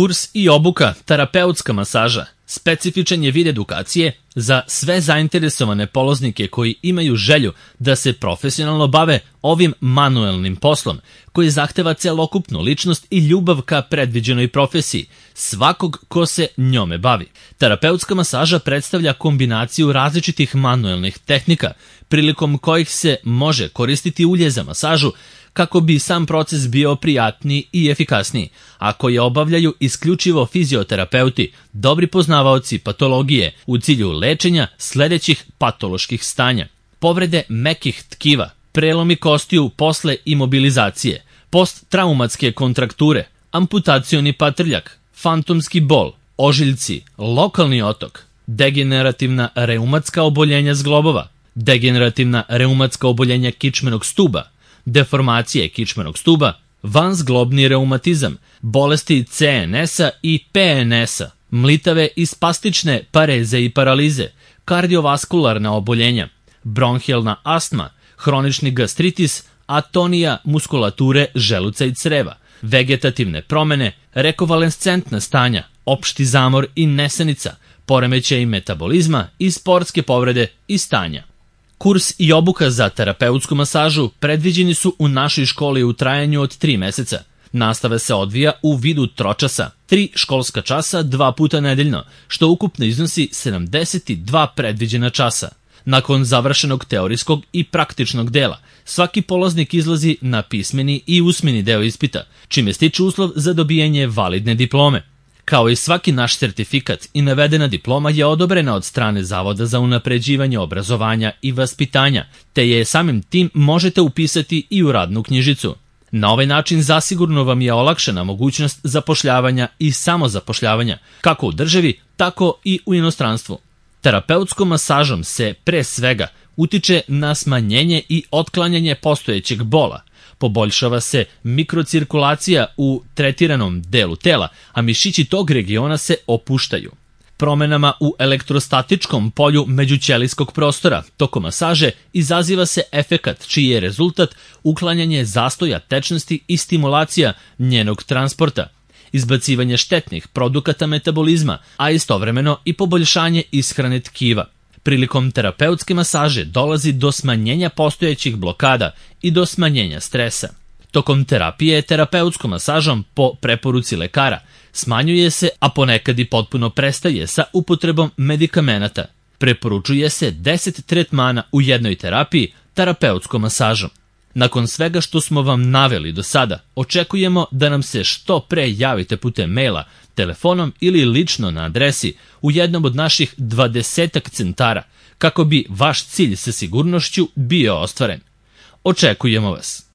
Kurs i obuka terapeutska masaža specifičan je vid edukacije za sve zainteresovane poloznike koji imaju želju da se profesionalno bave ovim manuelnim poslom, koji zahteva celokupnu ličnost i ljubav ka predviđenoj profesiji svakog ko se njome bavi. Terapeutska masaža predstavlja kombinaciju različitih manuelnih tehnika, prilikom kojih se može koristiti ulje za masažu kako bi sam proces bio prijatniji i efikasniji, a koje obavljaju isključivo fizioterapeuti, dobri poznavaoci patologije u cilju lečenja sledećih patoloških stanja: povrede mekih tkiva, prelomi kostiju posle imobilizacije, posttraumatske kontrakture, amputacioni patrljak, fantomski bol, ožiljci, lokalni otok, degenerativna reumatska oboljenja zglobova, degenerativna reumatska oboljenja kičmenog stuba, deformacije kičmenog stuba, vanzglobni reumatizam, bolesti CNS-a i PNS-a, mlitave i spastične pareze i paralize, kardiovaskularna oboljenja, bronhijalna astma, hronični gastritis, atonija muskulature želuca i creva, vegetativne promene, rekovalescentna stanja, opšti zamor i nesanica, poremećaj metabolizma i sportske povrede i stanja. Kurs i obuka za terapeutsku masažu predviđeni su u našoj školi u trajanju od 3 meseca. Nastava se odvija u vidu tročasa, 3 školska časa 2 puta nedeljno, što ukupno iznosi 72 predviđena časa. Nakon završenog teorijskog i praktičnog dela, svaki polaznik izlazi na pismeni i usmeni deo ispita, čime stiče uslov za dobijanje validne diplome. Kao i svaki naš sertifikat i navedena diploma je odobrena od strane Zavoda za unapređivanje obrazovanja i vaspitanja, te je samim tim možete upisati i u radnu knjižicu. Na ovaj način zasigurno vam je olakšana mogućnost zapošljavanja i samozapošljavanja, kako u državi, tako i u inostranstvu. Terapeutskom masažom se, pre svega, utiče na smanjenje i otklanjanje postojećeg bola, poboljšava se mikrocirkulacija u tretiranom delu tela, a mišići tog regiona se opuštaju. Promenama u elektrostatičkom polju međućelijskog prostora tokom masaže izaziva se efekat čiji je rezultat uklanjanje zastoja tečnosti i stimulacija njenog transporta, izbacivanje štetnih produkata metabolizma, a istovremeno i poboljšanje ishrane tkiva. Prilikom terapeutske masaže dolazi do smanjenja postojećih blokada i do smanjenja stresa. Tokom terapije terapeutskom masažom po preporuci lekara smanjuje se, a ponekad i potpuno prestaje sa upotrebom medikamenata. Preporučuje se 10 tretmana u jednoj terapiji terapeutskom masažom. Nakon svega što smo vam naveli do sada, očekujemo da nam se što pre javite putem maila, telefonom ili lično na adresi u jednom od naših 20 centara, kako bi vaš cilj sa sigurnošću bio ostvaren. Očekujemo vas!